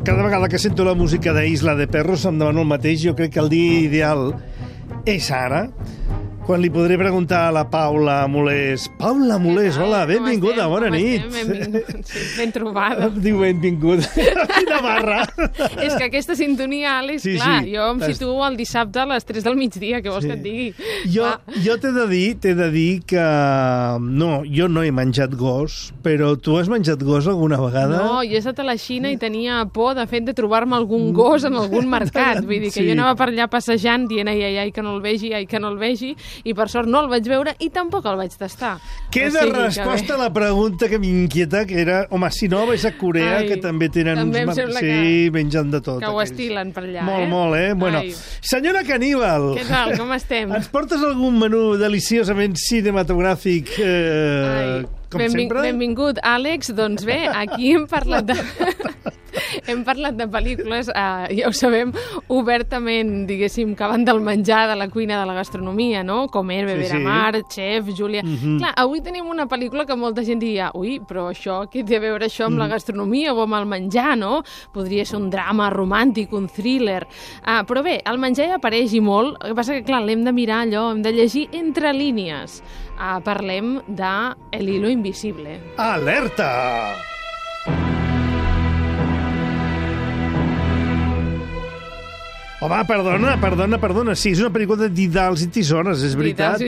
Cada vegada que sento la música d'Isla de Perros em demano el mateix. Jo crec que el dia ideal és ara, quan li podré preguntar a la Paula Molés. Paula Molés, hola, benvinguda, bona nit. Ben trobada. Diu benvinguda. Quina barra. És que aquesta sintonia, Àlex, clar, jo em situo el dissabte a les 3 del migdia, què vols que et digui? Jo t'he de dir que... No, jo no he menjat gos, però tu has menjat gos alguna vegada? No, jo he estat a la Xina i tenia por, de fet, de trobar-me algun gos en algun mercat. Vull dir que jo anava per allà passejant dient ai, que no el vegi, que no el vegi, i per sort no el vaig veure i tampoc el vaig tastar. Queda resposta a la pregunta que m'inquieta, que era, home, si no vais a Corea, que també tenen uns mercats... Sí, mengen de tot. Que ho estilen per allà, Molt, Bueno, senyora Caníbal. Què tal, com estem? Ens portes algun menú deliciosament cinematogràfic, com sempre? Benvingut, Àlex. Doncs bé, aquí hem parlat de... Hem parlat de pel·lícules, ja ho sabem, obertament, diguéssim, que van del menjar, de la cuina, de la gastronomia, no? Com Hervé Veramar, Chef, Júlia... Clar, avui tenim una pel·lícula que molta gent diria ui, però això, què té a veure això amb la gastronomia o amb el menjar, no? Podria ser un drama romàntic, un thriller... Però bé, el menjar ja apareix i molt, el que passa que, clar, l'hem de mirar allò, hem de llegir entre línies. Parlem de El hilo invisible. Alerta! Home, perdona. Sí, és una pel·lícula de didals i tisores, és veritat.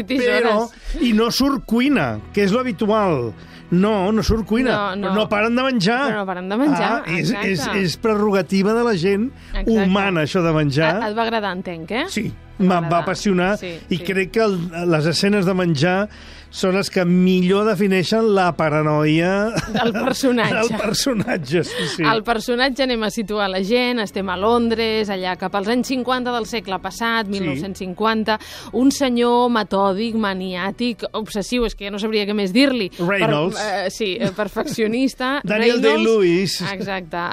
I no surt cuina, que és l'habitual. No surt cuina. No. Però no paren de menjar. Però no paren de menjar, exacte. És prerrogativa de la gent humana, això de menjar. Et va agradar, entenc, eh? Sí, em va apassionar i crec que les escenes de menjar són les que millor defineixen la paranoia del personatge. Sí. El personatge, anem a situar la gent, estem a Londres, allà cap als anys 50 del segle passat, 1950, un senyor metòdic, maniàtic, obsessiu, és que ja no sabria què més dir-li. Reynolds. Perfeccionista. Daniel Day-Lewis. Exacte.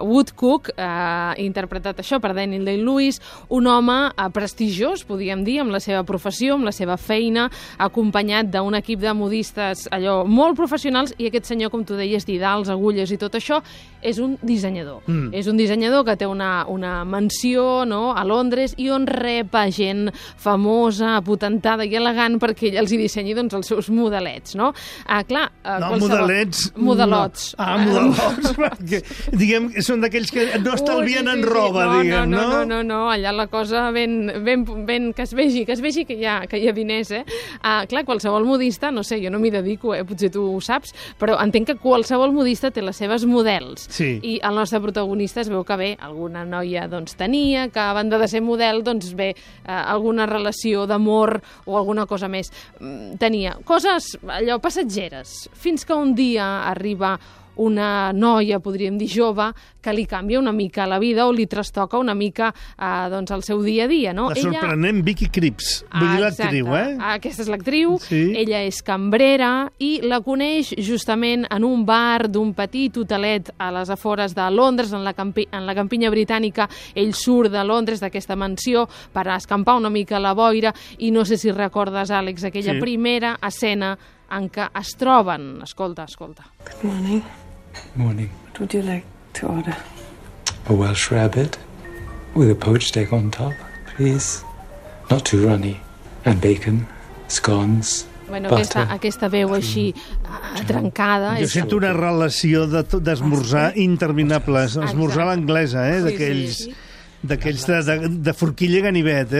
Woodcook, interpretat això per Daniel Day-Lewis, un home prestigiós, podríem dir, amb la seva professió, amb la seva feina, acompanyat d'un equip de modistes allò molt professionals, i aquest senyor, com tu deies, didals, agulles i tot això, és un dissenyador. És un dissenyador que té una mansió, no?, a Londres, i on rep a gent famosa, apotentada i elegant perquè ell els hi dissenyi doncs, els seus modelets, no? Modelets... Modelots. Modelots, perquè, diguem, són d'aquells que no estalvien en roba, diguem, no? No, allà la cosa ben que es vegi que hi ha diners, clar, qualsevol modista, no sé, jo no m'hi dedico, potser tu ho saps, però entenc que qualsevol modista té les seves models. Sí. I el nostre protagonista es veu que bé, alguna noia doncs tenia, que a banda de ser model, doncs bé, alguna relació d'amor o alguna cosa més. Tenia coses, allò, passatgeres, fins que un dia arriba una noia, podríem dir jove, que li canvia una mica la vida o li trastoca una mica doncs, el seu dia a dia, no? La sorprenent Vicky Krieps, vull dir l'actriu, Aquesta és l'actriu, ella és cambrera i la coneix justament en un bar d'un petit hotelet a les afores de Londres, en la campinya britànica. Ell surt de Londres, d'aquesta mansió, per escampar una mica la boira, i no sé si recordes, Àlex, aquella primera escena en què es troben. Escolta. Good morning. Morning. What would you like to order? A Welsh rabbit with a poached egg on top, please. Not too runny. And bacon, scones, Bueno, butter. aquesta veu així trencada... Jo sento una relació d'esmorzar interminable. Esmorzar a l'anglesa, d'aquells de forquilla i ganivet,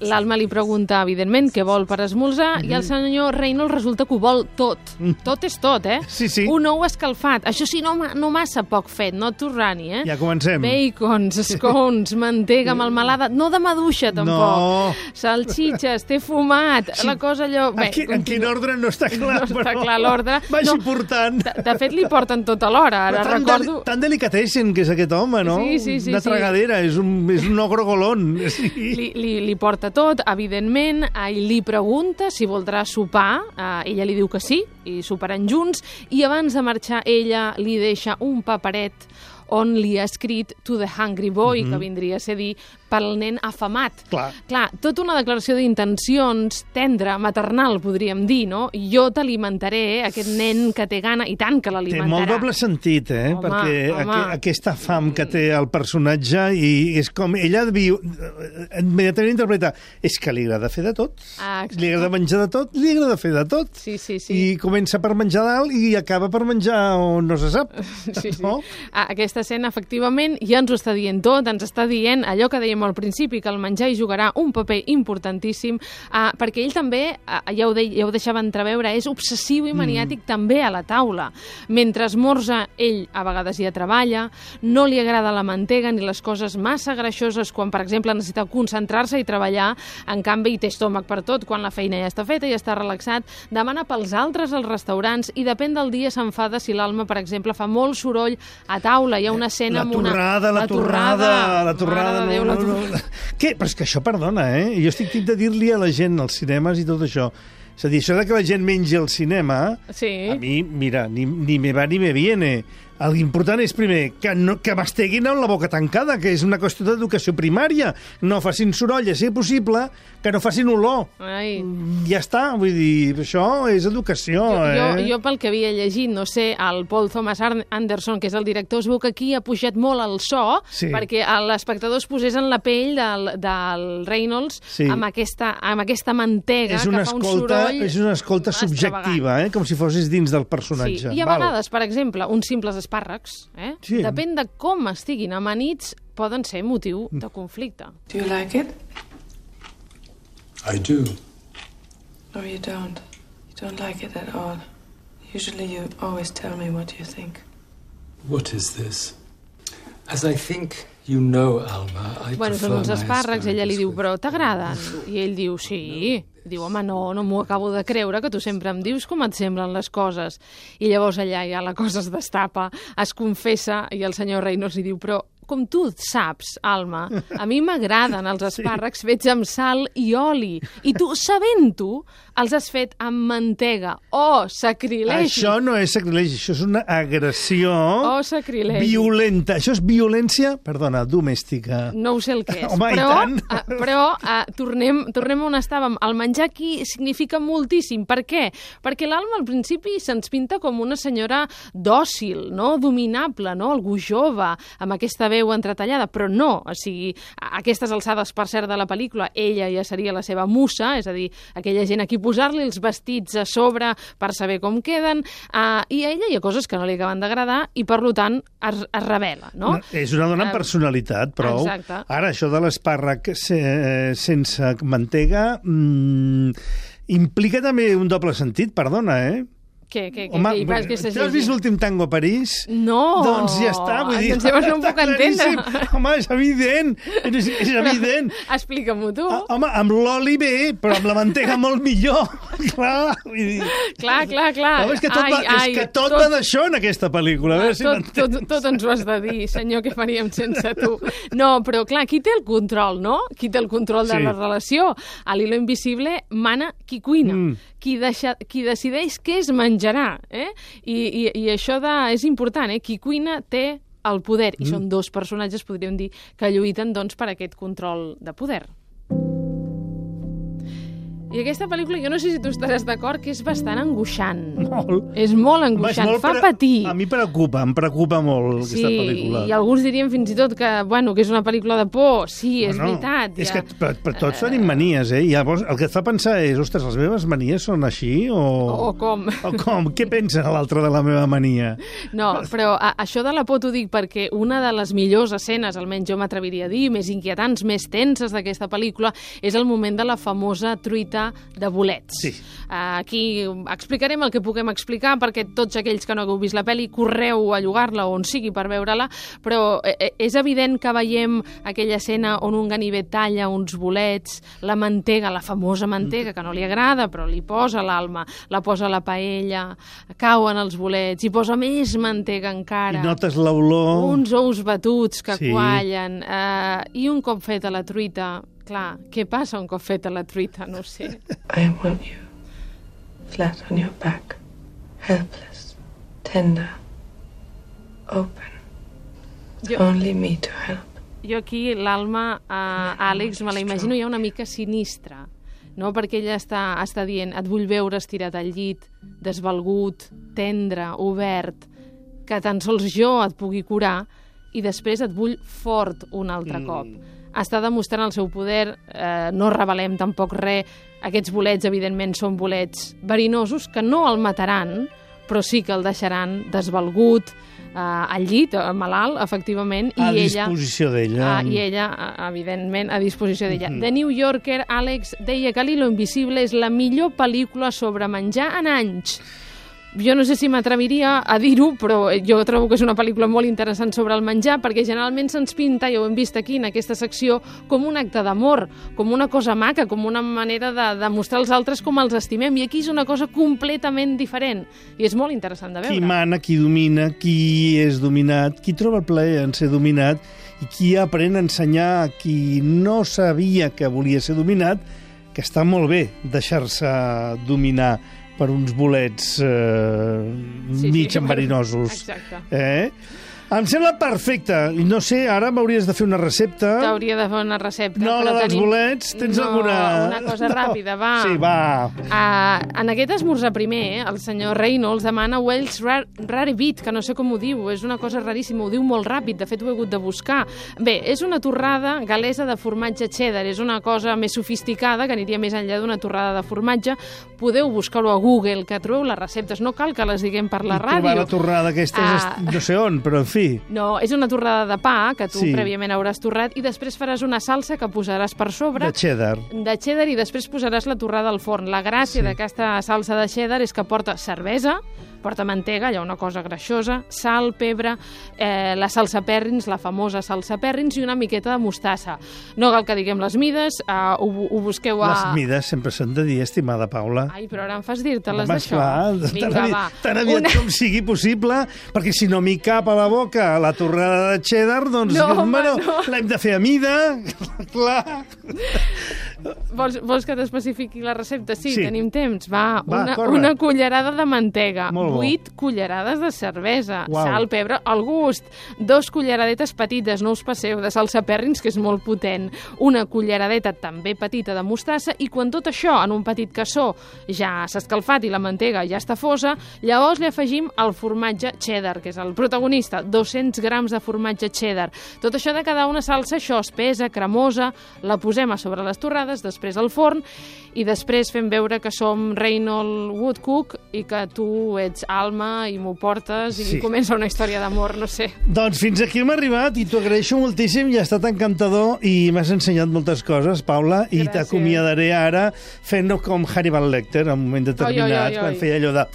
L'Alma li pregunta, evidentment, què vol per esmorzar, i el senyor Reynolds resulta que ho vol tot. Tot és tot, Sí. Un ou escalfat. Això sí, no massa poc fet, no too runny, Ja comencem. Bacons, scones, mantega melmelada, no de maduixa, tampoc. No. Salxitxes, té fumat, la cosa allò... En quin ordre no està clar, No està clar l'ordre. Vagi portant. De fet, li porten tot alhora, ara recordo... Tan delicatessen que és aquest home, no? Sí. Una tragadera, és un ogrogolón. Li porta tot, evidentment, i li pregunta si voldrà sopar, ella li diu que sí, i soparan junts, i abans de marxar ella li deixa un paperet on li ha escrit To the Hungry Boy, que vindria a ser dir pel nen afamat. Clar, tota una declaració d'intencions tendra, maternal, podríem dir, no? Jo t'alimentaré, aquest nen que té gana, i tant que l'alimentarà. Té molt doble sentit, Home, perquè aquesta fam que té el personatge, i és com ella immediatament interpreta, és que li agrada fer de tot, li agrada menjar de tot, li agrada fer de tot. Sí. I comença per menjar dalt i acaba per menjar on no se sap. Sí. No? Aquesta escena, efectivament, ja ens ho està dient tot, ens està dient allò que dèiem al principi, que el menjar hi jugarà un paper importantíssim, perquè ell també, ja ho deixava entreveure, és obsessiu i maniàtic també a la taula. Mentre esmorza, ell a vegades ja treballa, no li agrada la mantega ni les coses massa greixoses quan, per exemple, necessita concentrar-se i treballar, en canvi té estómac per tot, quan la feina ja està feta, ja està relaxat, demana pels altres als restaurants i depèn del dia s'enfada si l'Alma, per exemple, fa molt soroll a taula. Hi ha una escena amb una... La torrada. Mare de Déu, la torrada. Què? Però és que això, perdona, Jo estic tip de dir-li a la gent als cinemes i tot això. És a dir, això de que la gent mengi al cinema, a mi, mira, ni me va ni me viene. L'important és, primer, que masteguin amb la boca tancada, que és una qüestió d'educació primària. No facin soroll, a ser possible, que no facin olor. Ai. Ja està, vull dir, això és educació, Jo pel que havia llegit, no sé, el Paul Thomas Anderson, que és el director, es veu que aquí ha pujat molt el so, perquè l'espectador es posés en la pell del Reynolds amb aquesta mantega que fa un soroll. És una escolta subjectiva, com si fossis dins del personatge. Sí. I a vegades, per exemple, uns simples espàrrecs, depèn de com estiguin amanits, poden ser motiu de conflicte. Do you like it? I do. No, you don't. You don't like it at all. Usually you always tell me what you think. What is this? As I think you know, Alma, I són uns espàrrecs, ella li diu, però t'agraden? I ell diu, sí. Diu, home, no m'ho acabo de creure, que tu sempre em dius com et semblen les coses. I llavors allà ja la cosa es destapa, es confessa, i el senyor Reynolds li diu, però com tu saps, Alma, a mi m'agraden els espàrrecs fets amb sal i oli. I tu, sabent-ho, els has fet amb mantega. Oh, sacrilegi! Això no és sacrilegi, això és una agressió violenta. Això és violència, perdona, domèstica. No ho sé el que és. Home, però tornem on estàvem. El menjar aquí significa moltíssim. Per què? Perquè l'Alma al principi se'ns pinta com una senyora dòcil, no? Dominable, no? Algú jove, amb aquesta veu entretallada, però no. O sigui, a aquestes alçades, per cert, de la pel·lícula, ella ja seria la seva musa, és a dir, aquella gent a qui posar-li els vestits a sobre per saber com queden, i a ella hi ha coses que no li acaben d'agradar i, per tant, es revela, no? És una dona amb personalitat, prou. Exacte. Ara, això de l'espàrrec sense mantega implica també un doble sentit, perdona, Home, tu has vist l'últim tango a París? No! Doncs ja està, vull dir... Doncs llavors no em puc entendre. Home, és evident, és evident. Explica-m'ho tu. Home, amb l'oli bé, però amb la mantega molt millor. Clar, vull dir... Clar. No, és que tot va d'això en aquesta pel·lícula. Tot ens ho has de dir, senyor, què faríem sense tu? No, però clar, qui té el control, no? Qui té el control de la relació? A l'hilo invisible mana qui cuina. Qui decideix què es menjarà, I això és important, Qui cuina té el poder, i són dos personatges, podríem dir, que lluiten, doncs, per aquest control de poder. I aquesta pel·lícula, jo no sé si tu estaràs d'acord, que és bastant angoixant. Molt. És molt angoixant, fa patir. A mi em preocupa molt aquesta pel·lícula. I alguns dirien fins i tot que és una pel·lícula de por. Sí, és veritat. És que per tots tenim manies, I llavors el que et fa pensar és, ostres, les meves manies són així? O com? O com? Què pensa l'altre de la meva mania? No, però això de la por t'ho dic perquè una de les millors escenes, almenys jo m'atreviria a dir, més inquietants, més tenses d'aquesta pel·lícula, és el moment de la famosa truita de bolets. Sí. Aquí explicarem el que puguem explicar, perquè tots aquells que no hagueu vist la pel·li, correu a llogar-la on sigui per veure-la, però és evident que veiem aquella escena on un ganivet talla uns bolets, la mantega, la famosa mantega, que no li agrada, però li posa l'Alma, la posa a la paella, cauen els bolets, hi posa més mantega encara. I notes l'olor. Uns ous batuts que quallen, i un cop feta la truita, clar, què passa un cop feta la truita? No ho sé. I want you flat on your back, helpless, tender, open. Only me to help. Jo aquí l'Alma, Àlex, me la imagino ja una mica sinistra, no? Perquè ella està dient, et vull veure estirat al llit, desvalgut, tendre, obert, que tan sols jo et pugui curar, i després et vull fort un altre cop. Està demostrant el seu poder, no revelem tampoc res. Aquests bolets, evidentment, són bolets verinosos que no el mataran, però sí que el deixaran desvalgut, al llit, malalt, efectivament, a disposició d'ella. I ella, evidentment, a disposició d'ella. The New Yorker, Àlex, deia que L'Hilo Invisible és la millor pel·lícula sobre menjar en anys. Jo no sé si m'atreviria a dir-ho, però jo trobo que és una pel·lícula molt interessant sobre el menjar, perquè generalment se'ns pinta, ja ho hem vist aquí en aquesta secció, com un acte d'amor, com una cosa maca, com una manera de mostrar als altres com els estimem, i aquí és una cosa completament diferent, i és molt interessant de veure. Qui mana, qui domina, qui és dominat, qui troba el plaer en ser dominat, i qui aprèn a ensenyar a qui no sabia que volia ser dominat, que està molt bé deixar-se dominar per uns bolets mig enverinosos. Exacte. Em sembla perfecte. No sé, ara m'hauries de fer una recepta. T'hauria de fer una recepta. No, la dels bolets. Tens alguna... una cosa ràpida, va. Sí, va. En aquest esmorzar primer, el senyor Reynolds demana Welsh Rarebit, que no sé com ho diu, és una cosa raríssima, ho diu molt ràpid, de fet ho he hagut de buscar. Bé, és una torrada galesa de formatge cheddar, és una cosa més sofisticada, que aniria més enllà d'una torrada de formatge. Podeu buscar-ho a Google, que trobeu les receptes, no cal que les diguem per la ràdio. Trobar la torrada aquesta no sé on, però en fi. No, és una torrada de pa que tu prèviament hauràs torrat i després faràs una salsa que posaràs per sobre. De cheddar. De cheddar i després posaràs la torrada al forn. La gràcia d'aquesta salsa de cheddar és que porta cervesa, porta mantega, allà una cosa greixosa, sal, pebre, la salsa Perrins, la famosa salsa Perrins i una miqueta de mostassa. No cal que diguem les mides, ho busqueu a... Les mides sempre s'han de dir, estimada Paula. Ai, però ara em fas dir-te-les d'això. Vinga, va. Tan aviat com sigui possible, perquè si no m'hi cap a la boca la torrada de cheddar, doncs l'hem de fer a mida, clar. Vols que t'especifiqui la recepta? Sí, tenim temps. Va, una cullerada de mantega, 8 cullerades de cervesa, sal, pebre, al gust, 2 culleradetes petites, no us passeu, de salsa Perrins, que és molt potent, una culleradeta també petita de mostassa, i quan tot això en un petit cassó ja s'ha escalfat i la mantega ja està fosa, llavors li afegim el formatge cheddar, que és el protagonista, 200 grams de formatge cheddar. Tot això de cada una salsa, això espessa, cremosa, la posem a sobre les torrades, després al forn, i després fem veure que som Reynold Woodcook i que tu ets Alma i m'ho portes i comença una història d'amor, no sé. Doncs fins aquí hem arribat i t'ho agraeixo moltíssim i ha estat encantador i m'has ensenyat moltes coses, Paula, i t'acomiadaré ara fent-ho com Hannibal Lecter en un moment determinat, quan feia allò de...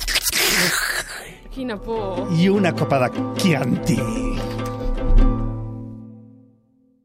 Quina por. I una copa de Chianti.